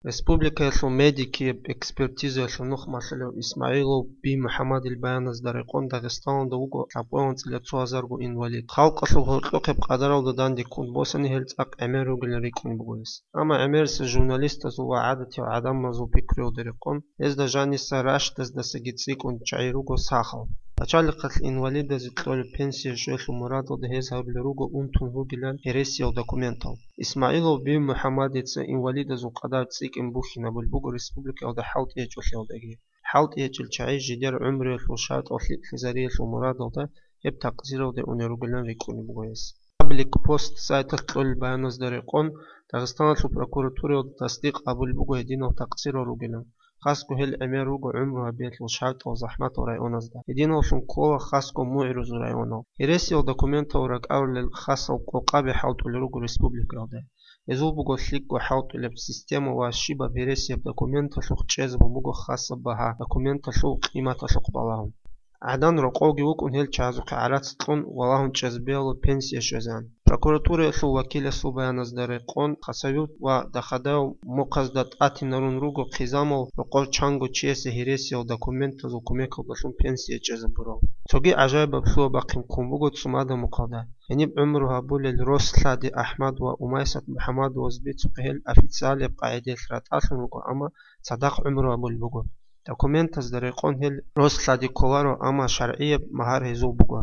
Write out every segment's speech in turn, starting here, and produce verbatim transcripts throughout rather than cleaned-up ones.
Республикаялъул медикияб экспертизаялъул нух малъулев ИсмагӀилов Бий МухӀаммадил баяназда рекъон Дагъистаналда вуго лъабкъоялда анцӀила цо гьазарго инвалид. Халкъалъул гьоркьохъеб къадаралда данде ккун босани гьел цӀакъ гӀемер ругилан рикӀкӀунеб буго гьес. Амма гӀемерисел журналистазул ва гӀадатиял гӀадамазул пикруялда рекъон, гьезда жаниса рашдаздасаги цӀикӀкӀун чагӀи руго сахал. Пачалихъалъ инвалидазе кьолеб пенсияялъул мурадалда гьез гьабулел руго унтун ругилан гьересиял документал. ИсмагӀилов Бий МухӀаммадица инвалидазул къадар цӀикӀкӀун бухьинабулеб буго республикаялда хӀалтӀи гьечӀолъиялдаги. ХӀалтӀи гьечӀел чагӀи жидер гӀумруялъул шартӀал лъикӀлъизариялъул мурадалда гьеб такъзиралде унел ругилан рикӀкӀунеб буго гьес. Паблик Пост сайталъ кьолел баяназда рекъон, Дагъистаналъул прокуратураялда тасдикъ гьабулеб буго гьединал такъзирал ругилан, хасго гьел гӀемер руго гӀумру гьабиялъул шартӀал захӀматал районазда. Гьединаллъун ккола хасго мугӀрузул районал. Гьересиял документал ракӀарулел хасал къокъаби хӀалтӀулел руго республикаялда. Гьезул буго лъикӀго хӀалтӀулеб система ва щибаб гьересияб документалъухъ чӀезабун буго хасаб багьа документалъул къиматалъухъ балагьун. ГӀадан рокъовги вукӀун гьел чагӀазухъе гӀарац кьун валагьун чӀезабиялъул пенсия щвезегӀан. Прокуратураялъул вакиласул баяназда рекъон, Хасавюрт ва Дахадаев мухъазда тӀатинарун руго хъизамал рокъор чанго чиясе гьересиял документазул кумекалдалъун пенсия чӀезабурал. Цоги гӀажаибаб лъугьа-бахъин ккун буго цӀумадаб мухъалда. Гьениб гӀумру гьабулел Рослъади АхӀмад ва Умайсат МухӀаммадоваз бицухъе гьел официалияб къагӀидаялъ ратӀалъун руго, амма цадахъ гӀумру гьабулеб буго. Документазда рекъон гьел Рослъади кколаро, амма шаргӀияб магьар гьезул буго.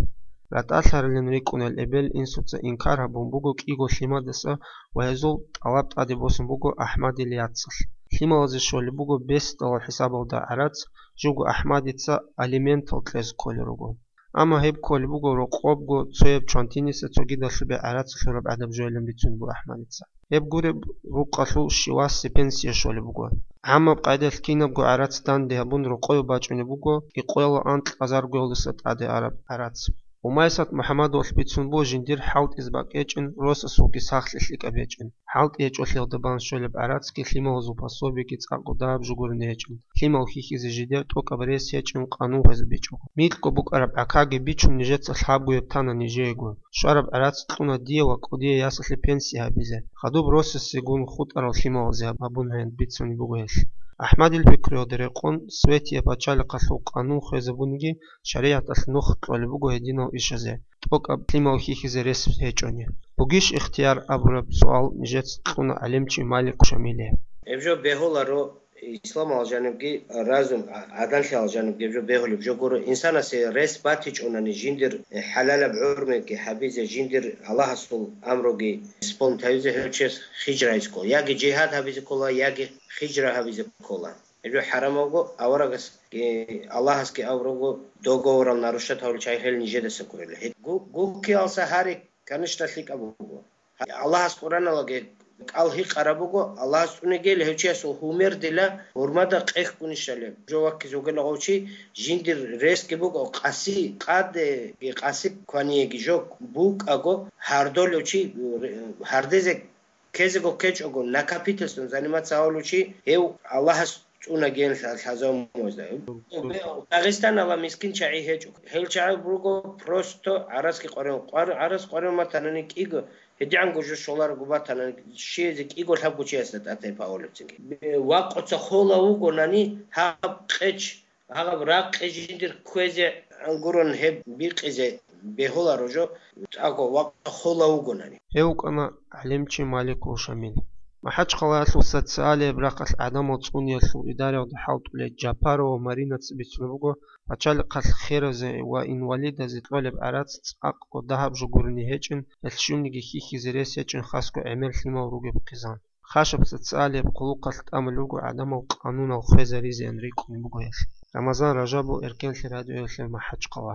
РатӀалъарилан рикӀкӀунел эбел-инсуца инкар гьабун буго кӀиго лъимадаса ва гьезул тӀалаб тӀаде босун буго АхӀмадил яцалъ. Лъималазе щолеб буго бесдалал хӀисабалда гӀарац, живго АхӀмадица алиментал кьезе кколел руго. Амма гьеб кколеб буго рокъобго цояб чвантиниса цогидалъубе гӀарац лъураб гӀадаб жоялин бицун буго АхӀмадица. Гьеб гуреб рукъалъул щивасе пенсия щолеб буго. ГӀаммаб къайдалъ кинабго гӀарац данде гьабун рокъове бачӀунеб буго икъоялда анкьазаргоялдаса тӀаде араб гӀарац. Умайсат МухӀаммадовалъ бицун буго жиндир хӀалтӀизе бакӀ гьечӀин, росасулги сахлъи лъикӀаб гьечӀин. ХӀалтӀи гьечӀолъиялда бан щолеб гӀарацги лъималазул пособиги цӀакъго дагьаб жугурин гьечӀин. Лъимал хьихьизе жидер тӀокӀаб рес гьечӀин, къанун хвезе бичӀого. Микьго букӀараб гӀакаги бичун нижеца лъабгояб тана нижеего. Щвараб гӀарац кьуна дие ва кӀудиясалъе пенсия гьабизе. Хадуб росасегун хутӀарал лъималазе гьабун гьаниб бицунеб буго гьелъ. АхӀмадил пикруялда рекъон, Светияб пачалихъалъул къанун хвезабуниги, шаригӀаталъ нух кьолеб буго гьединал ишазе, тӀокӀаб лъимал хьихьизе рес гьечӀони. Бугищ ихтияр абураб суал нижеца кьуна гӀалимчи Малик Шамиле. Гьеб жо бегьуларо исламал жанибги, разум, а-, гӀадамлъиялъ жанибги гьеб жо бегьулеб жо гуро. Инсанасе рес батичӀонани жиндир хӀалалаб гӀумруги гьабизе, жиндир Аллагьасул амруги исполнить гьабизе гьев чияс хижра гьабизе ккола. Яги жигьад гьабизе ккола, яги хижра гьабизе ккола. Гьеб жо хӀарамавго, аварагас, э, Аллагьасги аварагго договорал нарушать гьавулел чагӀи гьел нижедаса гурела. Гьеб гу-, гуккиялса гьари, конечно, лъикӀаб буго. Аллагьас Къураналаги кӀал гьикъараб буго, Аллагьас цӀунегел гьев чиясул гьумердила гьурмада къехкунищали. Жо ваккизе вугела гъов чи, жиндир ресги буго, къаси къадеги, къаси кваниеги жо букӀаго, гьардолев чи, гьардезе ккезего ккечӀого, накопительством заниматься гьавулев чи, гьев Аллагьас цӀуна гьел лъа-, лъазавумазда. Дагъистаналда мискин чагӀи гьечӀо. Гьел чагӀи буго просто гӀарацги къваригӀун. Къвар-, гӀарац къваригӀун батанани кӀиго, гьедигӀанго жо щоларого батанани, щиезе кӀиго-лъабго чиясда тӀатайпа авулебцинги. Бе-, вакъуца хола вугонани гьаб къеч, гьаб ракъи жиндир кквезе гурун гьеб бикъизе бегьуларо жо, цӀакъго вакъа хола вугонани. Гьев вукӀана гӀалимчи Маликов Шамил. МахӀачхъалаялъул социалияб рахъалъ гӀадамал цӀуниялъул идараялда хӀалтӀулей Джапарова Маринаца бицунеб буго, пачалихъалъ херазе ва инвалидазе кьолеб гӀарац цӀакъго дагьаб жугурни гьечӀин, гьелъ щивниги хьихьизе рес гьечӀин хасго гӀемер лъимал ругеб хъизан. Хашаб социалияб хъулухъалъ тӀамулеб буго гӀадамал къанунал хвезаризеян рикӀкӀунеб буго гьелъ. Рамазан Ражабов, Эркенлъи радиоялъе, МахӀачхъала.